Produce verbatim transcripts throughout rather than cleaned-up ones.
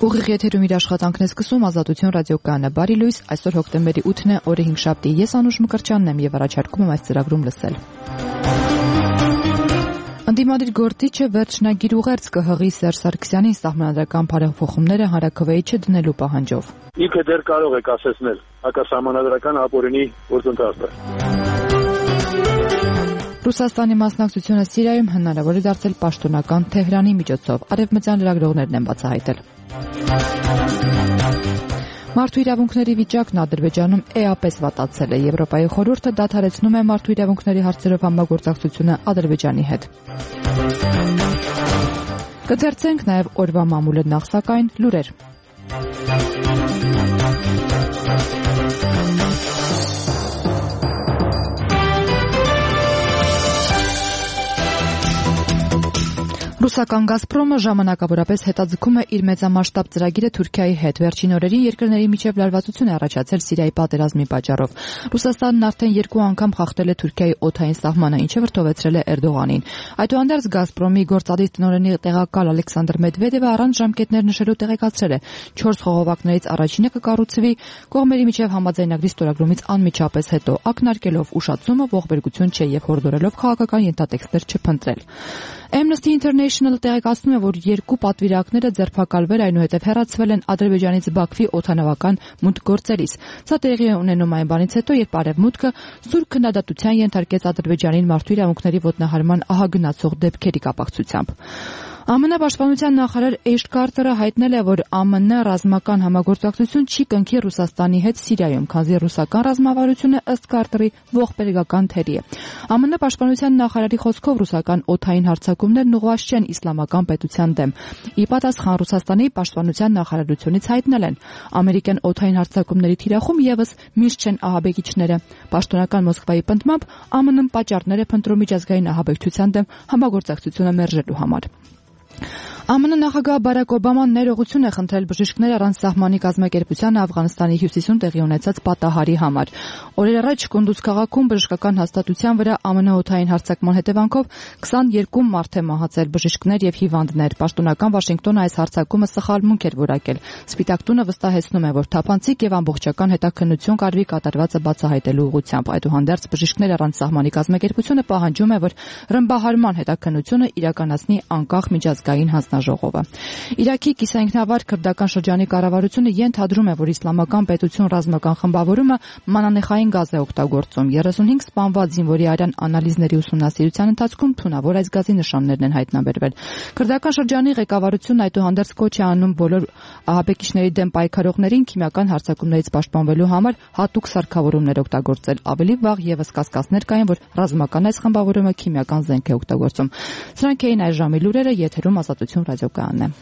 Ուղիղ եթերում իր աշխատանքն է սկսում Ազատություն ռադիոկայանը։ Բարի լույս, այսօր հոկտեմբերի ութն է, օրը հինգշաբթի։ Ես Անուշ Մկրտչյանն եմ եւ առաջարկում եմ այս ծրագրում լսել։ Ընդդիմադիր գործիչը վերջնագիր ուղերձ կը հղի Սերժ Սարգսյանին սահմանադրական բարեփոխումները հանրաքվեի չդնելու պահանջով։ Ինքը դեռ կարող է կասեցնել հակասահմանադրական ապօրինի գործընթացը։ Ռուսաստանի մասնակցությունը Սիրիայում հնարավոր է դարձել պաշտոնական Թեհրանի միջոցով, արևմտյան լրագրողներն են բացահայտել։ Մարդու իրավունքների վիճակն Ադրբեջանում էապես վատացել է։ Եվրոպայի խորհուրդը դադարեցնում է մարդու իրավունքների հարցերով համագործակցությունը Ադրբեջանի հետ։ Կթերցենք նաև օրվա մամուլը նախ սակայն լուրեր։ Ռուսական «Գազպրոմը» ժամանակավորապես հետաձգում է իր մեծամասշտաբ ծրագիրը Թուրքիայի հետ։ Վերջին օրերին երկրների միջև լարվածություն է առաջացել Սիրիայի պատերազմի պատճառով։ Ռուսաստանն արդեն երկու անգամ խախտել է Թուրքիայի օդային սահմանը, ինչը վրդովեցրել է Էրդողանին։ Այդուհանդերձ «Գազպրոմի» գործադիր տնօրենի տեղակալ Ալեքսանդր Մեդվեդևը առանց ժամկետներ նշելու տեղեկացրել է. չորս խողովակներից առաջինը կկառուցվի կողմերի միջև համաձայնագրի ստորագրումից անմիջապես հետո, ակնարկելով ուշացումը ողբերգություն չէ եւ հորդորելով քաղաքական ենթատեքստեր չփնտրել։ Amnesty International տեղեկացնում է, որ երկու պատվիրակները ձերբակալվել, այնուհետև հեռացվել են Ադրբեջանից Բաքվի օդանավական մուտք գործելիս։ Սա տեղի է ունենում այն բանից հետո, երբ Արևմուտքը սուր քննադատության ենթարկեց Ադրբեջանին մարդու իրավունքների ոտնահարման ահագնացող դեպքերի կապակցությամբ։ ԱՄՆ պաշտպանության նախարար Էշ Քարտերը հայտնել է, որ ԱՄՆ ռազմական համագործակցություն չի կնքի Ռուսաստանի հետ Սիրիայում, քանզի ռուսական ռազմավարությունը ըստ Քարտերի ողբերգական թերի է։ ԱՄՆ պաշտպանության նախարարի խոսքով ռուսական օդային հարձակումներն ուղղված չեն իսլամական պետության դեմ։ Ի պատասխան Ռուսաստանի պաշտպանության նախարարությունից հայտնել են, ամերիկյան օդային հարձակումների թիրախում եւս միշտ չեն ահաբեկիչները։ Պաշտոնական Մոսկվայի պնդմամբ ԱՄՆ-ն պատճառներ է փնտրում միջազգային ահաբեկչության դեմ համագործակցությունը մերժելու համար։ ԱՄՆ նախագահ Բարակ Օբաման ներողություն է խնդրել բժիշկներ առանց սահմանի կազմակերպությանը Աֆղանստանի հյուսիսում տեղի ունեցած պատահարի համար։ Օրեր առաջ Կունդուզ քաղաքում բժշկական հաստատության վրա ԱՄՆ օդային հարձակման հետևանքով քսաներկու մարդ է մահացել, բժիշկներ եւ հիվանդներ։ Պաշտոնական Վաշինգտոնը այս հարձակումը սխալմունք էր որակել։ Սպիտակ տունը վստահեցնում է, որ թափանցիկ եւ ամբողջական հետաքննություն կարվի կատարվածը բացահայտելու ուղղությամբ։ Այդուհանդերձ բժիշկներ առանց սահմանի կազմակերպությունը պահանջում է, որ ռմբահարման հետաքննությունը իրականացնի անկախ միջազգային հանձնաժողովը։ Իրաքի կիսայինքնավար քրդական շրջանի կառավարությունը ենթադրում է, որ իսլամական պետություն ռազմական խմբավորումը մանանեխային գազ է օգտագործում։ երեսունհինգ սպանված զինվորի արյան անալիզների ուսումնասիրության ընթացքում թունավոր այս գազի նշաններն են հայտնաբերվել։ Քրդական շրջանի ղեկավարությունն այդուհանդերձ կոչ է անում բոլոր ահաբեկիչների դեմ պայքարողներին քիմիական հարձակումներից պաշտպանվելու համար հատուկ սարքավորումներ օգտագործել։ Ավելի վաղ եւս կասկածներ կային, որ ռազմական այս խմբավորումը քիմիական զենք է օգտագործում։ Սրանք էին այս ժամի լուրերը, եթերում Ազատություն ռադիոկայանն է։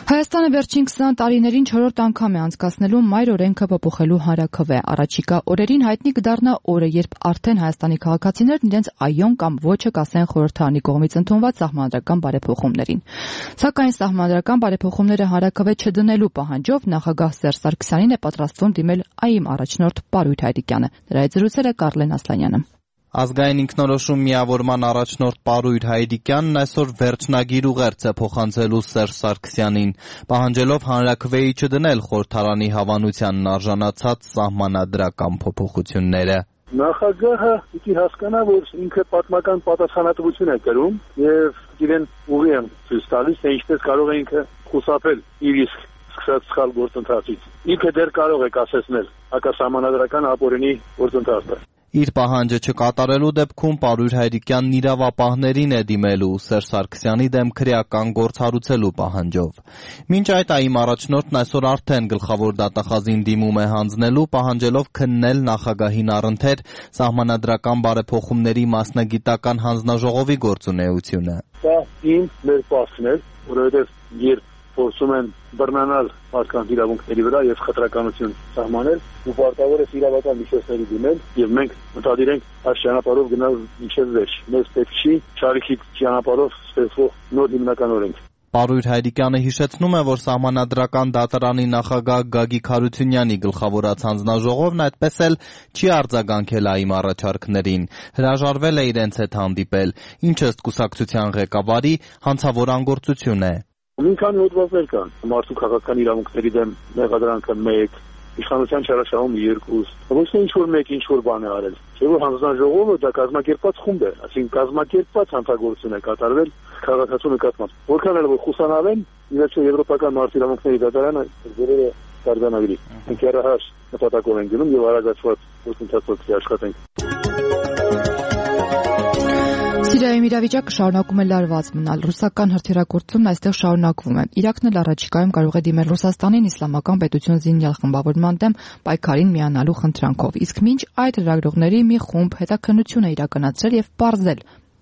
Հայաստանը վերջին քսան տարիներին չորրորդ անգամ է անցկացնելու մայր օրենքը փոփոխելու հանրաքվե։ Առաջիկա օրերին հայտնի կդառնա օրը, երբ արդեն Հայաստանի քաղաքացիներն իրենց այոն կամ ոչը կասեն խորհրդարանի կողմից ընդունված սահմանադրական բարեփոխումներին։ Սակայն սահմանադրական բարեփոխումները հանրաքվե չդնելու պահանջով նախագահ Սերժ Սարգսյանին է պատրաստվում դիմել ԱԻՄ առաջնորդ Պարույր Հայրիկյանը։ Դրա հետ զրուցել է Կարլեն Ասլանյանը։ Ազգային ինքնորոշում միավորման առաջնորդ Պարույր Հայրիկյանն այսօր վերջնագիր ուղերձ է փոխանցելու Սերժ Սարգսյանին, պահանջելով հանրաքվեի չդնել խորհրդարանի հավանությանն արժանացած սահմանադրական փոփոխությունները։ Նախագահը պիտի հասկանա, որ ինքը պատմական պատասխանատվություն է կրում եւ իրեն ուղի են ցույց տալիս, թե ինչպես կարող է ինքը խուսափել իր իսկ սկսած սխալ գործընթացից։ Ինքը դեռ կարող է կասեցնել հակասահմանադրական ապօրինի գործընթացը։ Իր պահանջը չկատարելու դեպքում Պարույր Հայրիկյանն իրավապահներին է դիմելու Սերժ Սարգսյանի դեմ քրեական գործ հարուցելու պահանջով։ Մինչ այդ ԱԻՄ առաջնորդն այսօր արդեն գլխավոր դատախազին դիմում է հանձնելու, պահանջելով քննել նախագահին առընթեր սահմանադրական բարեփոխումների մասնագիտական հանձնաժողովի գործունեությունը։ Դա իմ մեր պահքն է, որովհետև երբ փորձում են բռնանալ մարդկանց իրավունքների վրա եւ խտրականություն սահմանել, ու պարտավոր է իրավական միջոցների դիմել եւ մենք մտադիր ենք այս ճանապարհով գնալ մինչեւ վերջ։ Մեզ պետք չի ճարիքի ճանապարհով ստեղծվող նոր հիմնական օրենք։ Պարույր Հայրիկյանը հիշեցնում է, որ Սահմանադրական դատարանի նախագահ Գագիկ Հարությունյանի գլխավորած հանձնաժողովն այդպես էլ չի արձագանքել ԱԻՄ առաջարկներին, հրաժարվել է իրենց հետ հանդիպել, ինչը ըստ կուսակցության ղեկավարի հանցավոր անգործություն է։ Մի քանի հոդվածներ կան, մարդու քաղաքական իրավունքների դեմ մեղադրանքը մեկ, իշխանության չարաշահումը երկու, ոչ թե ինչ-որ մեկ ինչ-որ բան է արել, չէ՞ որ հանձնաժողովը դա կազմակերպված խումբ է, այսինքն կազմակերպված հանցագործություն է կատարվել քաղաքացու նկատմամբ։ Որքան էլ որ խուսանավեն, իհարկե եվրոպական մարդու իրավունքների դատարանը ձերերը կարգանագրի։ Մենք երահաշ նպատակով ենք գնում եւ արագացված գործընթացով աշխատենք։ Սիրիայում իրավիճակը շարունակում է լարված մնալ, ռուսական հրթիռակոծությունն այստեղ շարունակվում է։ Իրաքն էլ առաջիկայում կարող է դիմել Ռուսաստանին իսլամական պետություն զինյալ խմբավորման դեմ պայքարին միանալու խնդրանքով, իսկ մինչ այդ լրագրողների մի խումբ հետաքննություն է իրականացրել եւ պարզել,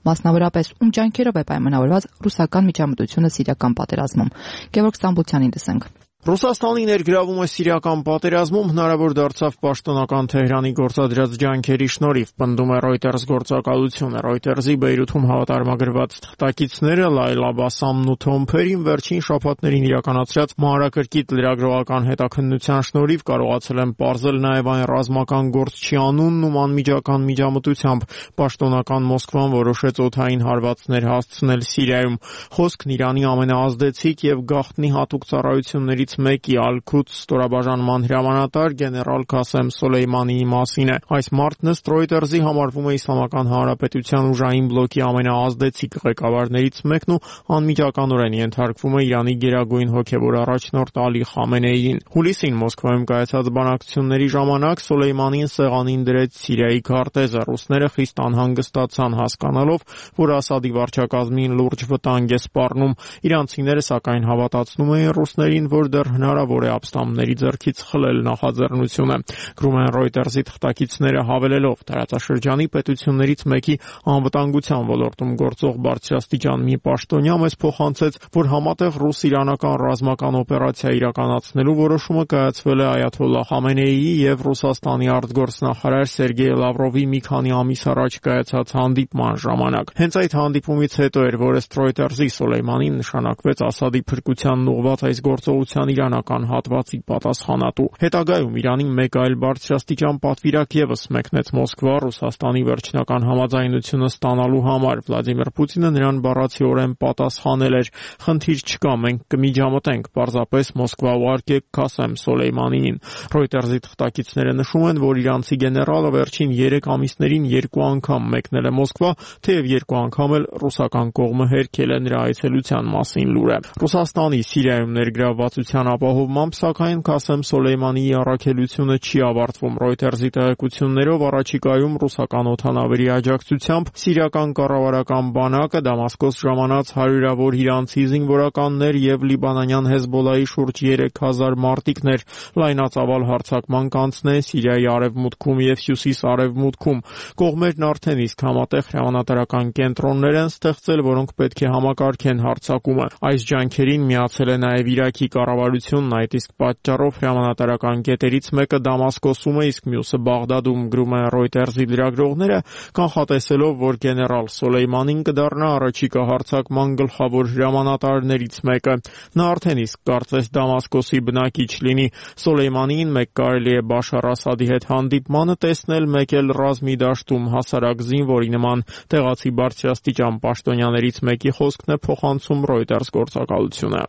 մասնավորապես ում ջանքերով է պայմանավորված ռուսական միջամտությունը սիրիական պատերազմում։ Գևորգ Ստամբուլցյանին լսենք։ Ռուսաստանի ներգրավումը սիրիական պատերազմում հնարավոր դարձավ պաշտոնական Թեհրանի գործադրած ջանքերի շնորհիվ, պնդում է Reuters գործակալությունը։ Reuters-ի Բեյրութում հավատարմագրված թղթակիցները Լայլա Բասամն ու Թոմ Փերին վերջին շաբաթներին իրականացրած մանրակրկիտ լրագրողական հետաքննության շնորհիվ կարողացել են պարզել նաև այն ռազմական գործչի անունն ու անմիջական միջամտությամբ պաշտոնական Մոսկվան որոշեց օդային հարվածներ հասցնել Սիրիայում։ Խոսքն Իրանի ամենաազդեցիկ եւ գաղտնի հատուկ ծառայություններից մեկի Ալ-Քուդս ստորաբաժանման հրամանատար գեներալ Քասեմ Սոլեյմանիի մասին է։ Այս մարդն ըստ Reuters-ի համարվում է Իսլամական Հանրապետության ուժային բլոկի ամենաազդեցիկ ղեկավարներից մեկն ու անմիջականորեն ենթարկվում է Իրանի գերագույն հոգևոր առաջնորդ Ալի Խամենեիին։ Հուլիսին Մոսկվայում կայացած բանակցությունների ժամանակ Սոլեյմանին սեղանին դրեց Սիրիայի քարտեզը։ Ռուսները խիստ անհանգստացան հասկանալով, որ Ասադի վարչակազմին լուրջ վտանգ է սպառնում։ Իրանցիները սակայն հավատացնում էին ռուսներին, որ դեռ հնարավոր է ապստամբների ձեռքից խլել նախաձեռնությունը։ Գրում են Reuters-ի թղթակիցները հավելելով, տարածաշրջանի պետություններից մեկի անվտանգության ոլորտում գործող բարձրաստիճան մի պաշտոնյա մեզ փոխանցեց, որ համատեղ ռուս-իրանական ռազմական օպերացիա իրականացնելու որոշումը կայացվել է Այաթոլլահ Խամենեիի եւ Ռուսաստանի արտգործնախարար Սերգեյ Լավրովի մի քանի ամիս առաջ կայացած հանդիպման ժամանակ։ Հենց այդ հանդիպումից հետո էր, որ ըստ Reuters-ի Սոլեյմանին նշանակվեց Ասադի փրկությանն ուղղված այս գործողության իրանական հատվածի պատասխանատու։ Հետագայում Իրանի մեկ այլ բարձրաստիճան պատվիրակ եւս մեկնեց Մոսկվա Ռուսաստանի վերջնական համաձայնությունը ստանալու համար։ Վլադիմիր Պուտինը նրան բառացիորեն պատասխանել էր. «Խնդիր չկա, մենք կմիջամտենք, պարզապես Մոսկվա ուղարկեք Քասեմ Սոլեյմանիին»։ Reuters-ի թղթակիցները նշում են, որ իրանցի գեներալը վերջին երեք ամիսներին երկու անգամ մեկնել է Մոսկվա, թեև երկու անգամ էլ ռուսական կողմը հերքել է նրա այցելության մասին լուրը։ Ռուսաստանի Սիրիայում ներգրավվածության ապահովմամբ, սակայն Քասեմ Սոլեյմանիի առաքելությունը չի ավարտվում։ Reuters-ի տեղեկություններով առաջիկայում ռուսական օդանավերի աջակցությամբ սիրիական կառավարական բանակը Դամասկոս ժամանած հարյուրավոր իրանցի զինվորականներ եւ լիբանանյան Հեզբոլայի շուրջ երեք հազար մարտիկներ լայնածավալ հարձակման կանցնեն Սիրիայի արևմուտքում եւ հյուսիս-արևմուտքում։ Կողմերն արդեն իսկ համատեղ հրամանատարական կենտրոններ են ստեղծել, որոնք պետք է համակարգեն հարձակումը։ Այս ջանքերին միացել է նաեւ Իրաքի կառավարությունն, այդ իսկ պատճառով հրամանատարական կետերից մեկը Դամասկոսում է, իսկ մյուսը Բաղդադում, գրում են Reuters-ի լրագրողները, կանխատեսելով, որ գեներալ Սոլեյմանին կդառնա առաջիկա հարձակման գլխավոր հրամանատարներից մեկը։ Նա արդեն իսկ կարծես Դամասկոսի բնակիչ լինի։ Սոլեյմանին մեկ կարելի է Բաշար Ասադի հետ հանդիպմանը տեսնել մեկ էլ ռազմի դաշտում հասարակ զինվորի նման։ Տեղացի բարձրաստիճան պաշտոնյաներից մեկի խոսքն է փոխանցում Reuters գործակալությունը։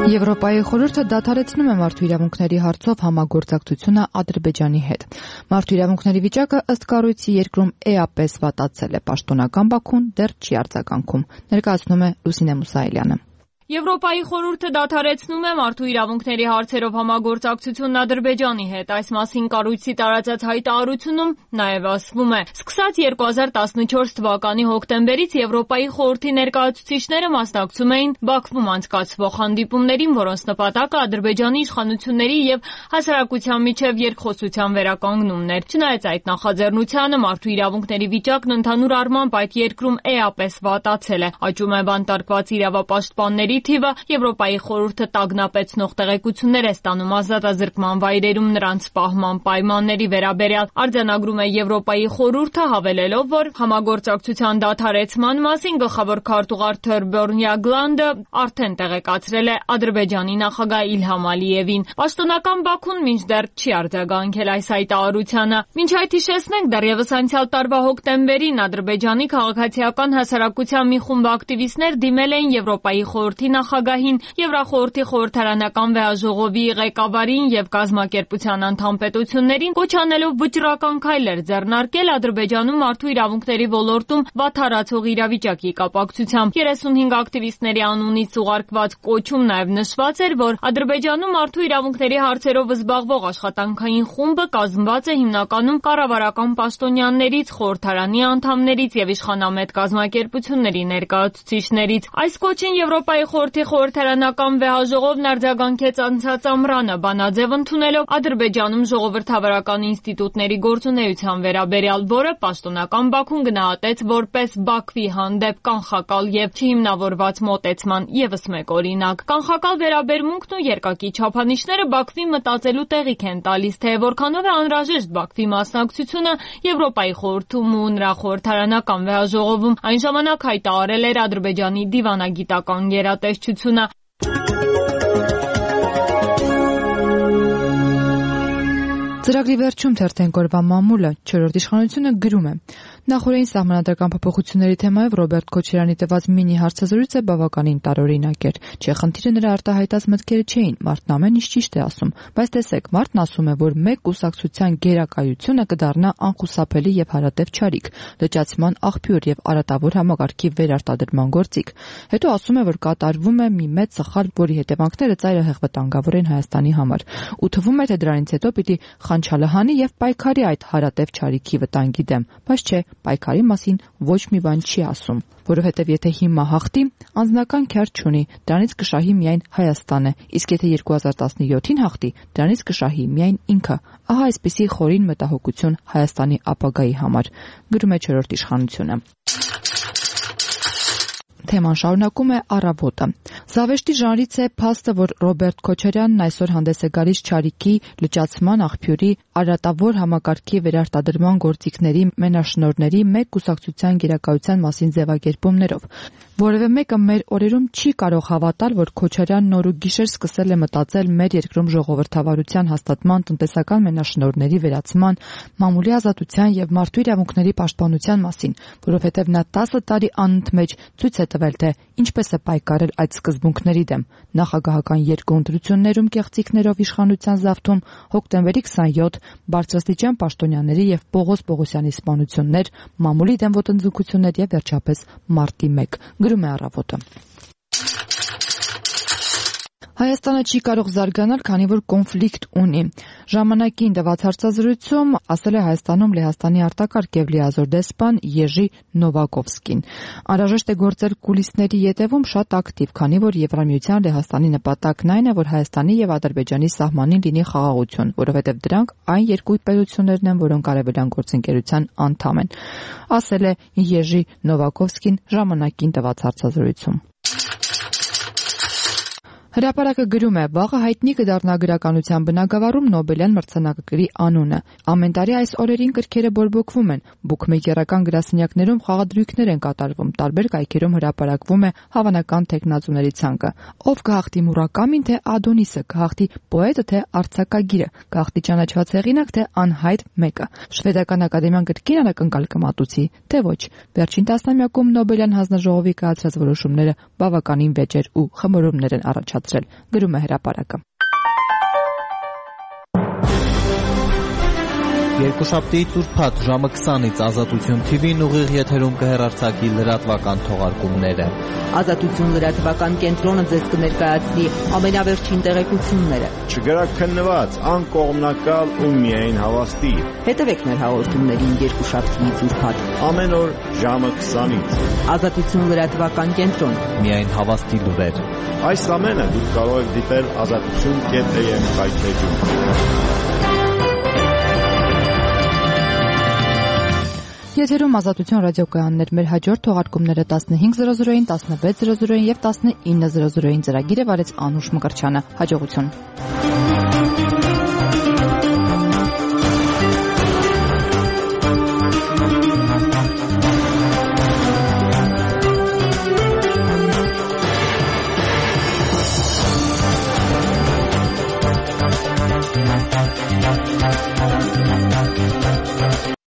Եվրոպայի խորհուրդը դադարեցնում է մարդու իրավունքների հարցով համագործակցությունը Ադրբեջանի հետ։ Մարդու իրավունքների վիճակը ըստ կառույցի երկրում էապես վատացել է, պաշտոնական Բաքուն դեռ չի արձագանքում, ներկայացնում է Լուսինե Մուսայելյանը։ Եվրոպայի խորհուրդը դադարեցնում է մարդու իրավունքների հարցերով համագործակցությունն Ադրբեջանի հետ։ Այս մասին կառույցի տարածած հայտարարությունում նաև ասվում է. Սկսած երկու հազար տասնչորս թվականի հոկտեմբերից Եվրոպայի խորհրդի ներկայացուցիչները մասնակցում էին Բաքվում անցկացվող հանդիպումներին, որոնց նպատակը Ադրբեջանի իշխանությունների եւ հասարակության միջև երկխոսության վերականգնումն էր։ Չնայած այդ նախաձեռնությանը, մարդու իրավունքների վիճակն ընդհանուր առմամբ այդ երկրում էապես վատացել է։ Աճում է բանտարկված իրավապաշտպանների զոհերի թիվը Եվրոպայի խորհուրդը տագնապեցնող տեղեկություններ է ստանում ազատազրկման վայրերում նրանց պահման պայմանների վերաբերյալ։ Արձանագրում է Եվրոպայի խորհուրդը, հավելելով, որ համագործակցության դադարեցման մասին գլխավոր քարտուղար Թորբյորն Յագլանդը արդեն տեղեկացրել է Ադրբեջանի նախագահ Իլհամ Ալիևին։ Պաշտոնական Բաքուն մինչդեռ չի արձագանքել այս հայտարարությանը։ Մինչ այդ հիշեցնենք, դեռևս անցյալ տարվա հոկտեմբերին Ադրբեջանի քաղաքացիական հասարակության մի խումբ ակտիվիստներ դիմել էին Եվրոպայի խորհրդի նախագահին, Եվրախորհրդի խորհրդարանական վեհաժողովի ղեկավարին եւ կազմակերպության անդամ պետություններին, կոչ անելով վճռական քայլեր ձեռնարկել Ադրբեջանում մարդու իրավունքների ոլորտում վատթարացող իրավիճակի կապակցությամբ։ երեսունհինգ ակտիվիստների անունից ուղարկված կոչում նաեւ նշված էր, որ Ադրբեջանում մարդու իրավունքների հարցերով զբաղվող աշխատանքային խումբը կազմված է հիմնականում կառավարական պաշտոնյաներից, խորհրդարանի անդամներից եւ իշխանամետ կազմակերպությունների ներկայացուցիչներից։ Այս կոչին Եվրոպայի խորհրդի խորհրդարանական վեհաժողովն արձագանքեց անցած ամռանը, բանաձև ընդունելով Ադրբեջանում ժողովրդավարական ինստիտուտների գործունեության վերաբերյալ, որը պաշտոնական Բաքուն գնահատեց որպես Բաքվի հանդեպ կանխակալ եւ չհիմնավորված մոտեցման եւս մեկ օրինակ։ Կանխակալ վերաբերմունքն ու երկակի չափանիշները Բաքվի մտածելու տեղիք են տալիս, թե որքանով է անհրաժեշտ Բաքվի մասնակցությունը Եվրոպայի խորհրդում ու նրա խորհրդարանական վեհաժողովում։ Այն ժամանակ հայտարարել էր Ադրբեջանի դիվանագիտական գերատեսչությունը։ Ծրագրի վերջում թերթեն կորվա մամուլը չորրորդ իշխանությունը գրում է. Նախորդային սահմանադրական փոփոխությունների թեմայով Ռոբերտ Քոչարյանի տված մինի հարցազրույցը բավականին տարօրինակ էր։ Չէ, խնդիրը նրա արտահայտած մտքերը չէին, մարդն ամեն ինչ ճիշտ է ասում, բայց տեսեք, մարդն ասում է, որ մեկ կուսակցության գերակայությունը կդառնա անխուսափելի եւ հարատև չարիք, լճացման աղբյուր եւ արատավոր համակարգի վերարտադրման գործիք։ Հետո ասում է, որ կատարվում է մի մեծ սխալ, որի հետևանքները ծայրահեղ վտանգավոր են Հայաստանի համար։ Ու թվում է, թե դրանից հետո պիտի խանչալը եւ պայքարի այդ հարատև չարիքի վտանգի դեմ, բայց չէ, պայքարի մասին ոչ մի բան չի ասում, որովհետև եթե հիմա հաղթի, անձնական քյար չունի, դրանից կշահի միայն Հայաստանը, իսկ եթե երկու հազար տասնյոթին հաղթի, դրանից կշահի միայն ինքը։ Ահա այսպիսի խորին մտահոգություն Հայաստանի ապագայի համար, գրում է չորրորդ իշխանությունը։ Թեման շարունակում է Առավոտը։ Զավեշտի ժանրից է փաստը, որ Ռոբերտ Քոչարյանն այսօր հանդես է գալիս չարիքի, լճացման աղբյուրի, արատավոր համակարգի վերարտադրման գործիքների մենաշնորհների մեկ կուսակցության գերակայության մասին ձևակերպումներով։ Որևէ մեկը մեր օրերում չի կարող հավատալ, որ Քոչարյանն նոր ու գիշեր սկսել է մտածել մեր երկրում ժողովրդավարության հաստատման, տնտեսական մենաշնորհների վերացման, մամուլի ազատության եւ մարդու իրավունքների պաշտպանության մասին, որովհետեւ նա տասը տարի անընդմեջ ցույց է տվել, թե ինչպես է պայքարել այդ սկզբունքների դեմ։ Նախագահական երկու ընտրություններում կեղծիքներով իշխանության զավթում, հոկտեմբերի քսանյոթ բարձրաստիճան պաշտոնյաների եւ Պողոս Պողոսյանի սպանություններ, մամուլի դեմ ոտնձգություններ եւ վերջապես մարտի մեկ, գրում է Առավոտը։ Հայաստանը չի կարող զարգանալ, քանի որ կոնֆլիկտ ունի։ Ժամանակին տված հարցազրույցում ասել է Հայաստանում Լեհաստանի արտակարգ եւ լիազոր դեսպան Եժի Նովակովսկին։ Անհրաժեշտ է գործել կուլիսների ետևում շատ ակտիվ, քանի որ Եվրամիության Լեհաստանի նպատակն այն է, որ Հայաստանի եւ Ադրբեջանի սահմանին լինի խաղաղություն, որովհետեւ դրանք այն երկու պետություններն են, որոնք արևելյան գործընկերության անդամ են, ասել է Եժի Նովակովսկին ժամանակին տված հարցազրույցում։ Հրապարակը գրում է. վաղը հայտնի կդառնա գրականության բնագավառում Նոբելյան մրցանակակիրի անունը։ Ամեն տարի այս օրերին գրքերը բորբոքվում են, բուքմեյքերական գրասենյակներում խաղադրույքներ են կատարվում, տարբեր կայքերում հրապարակվում է հավանական թեկնածուների ցանկը։ Ով կհաղթի Մուրակամին, թե Ադոնիսը, կհաղթի պոետը, թե արձակագիրը, կհաղթի ճանաչված հեղինակ, թե անհայտ մեկը։ Շվեդական ակադեմիան գրքին անակնկալ կմատուցի, թե ոչ։ Վերջին տասնամյակում Նոբելյան հանձնաժողովի կայացրած որոշումները բավականին վեճեր ու խմորումներ են առաջացրել, գրում է հրապարակը։ Երկուշաբթի ծուրփաթ ժամը քսանից Ազատություն թի վին ուղիղ եթերում կհեռարձակի լրատվական թողարկումները։ Ազատություն լրատվական կենտրոնը ձեզ կներկայացնի ամենավերջին տեղեկությունները։ Չգրաքննված, անկողմնակալ ու միայն հավաստի։ Հետևեք մեր հաղորդումներին երկուշաբթի ծուրփաթ ամեն օր ժամը քսանից։ Ազատություն լրատվական կենտրոն։ Միայն հավաստի լուրեր։ Այս ամենը դուք կարող եք դիտել ազատություն կետ է եմ վայբպեջում։ Եթերում Ազատություն ռադիոկայաններ, մեր հաջորդ թողարկումները տասնհինգ զրո զրոին, տասնվեց զրո զրոին եւ տասնինը զրո զրոին ծրագիրը վարեց Անուշ Մկրտչյանը։ Հաջողություն։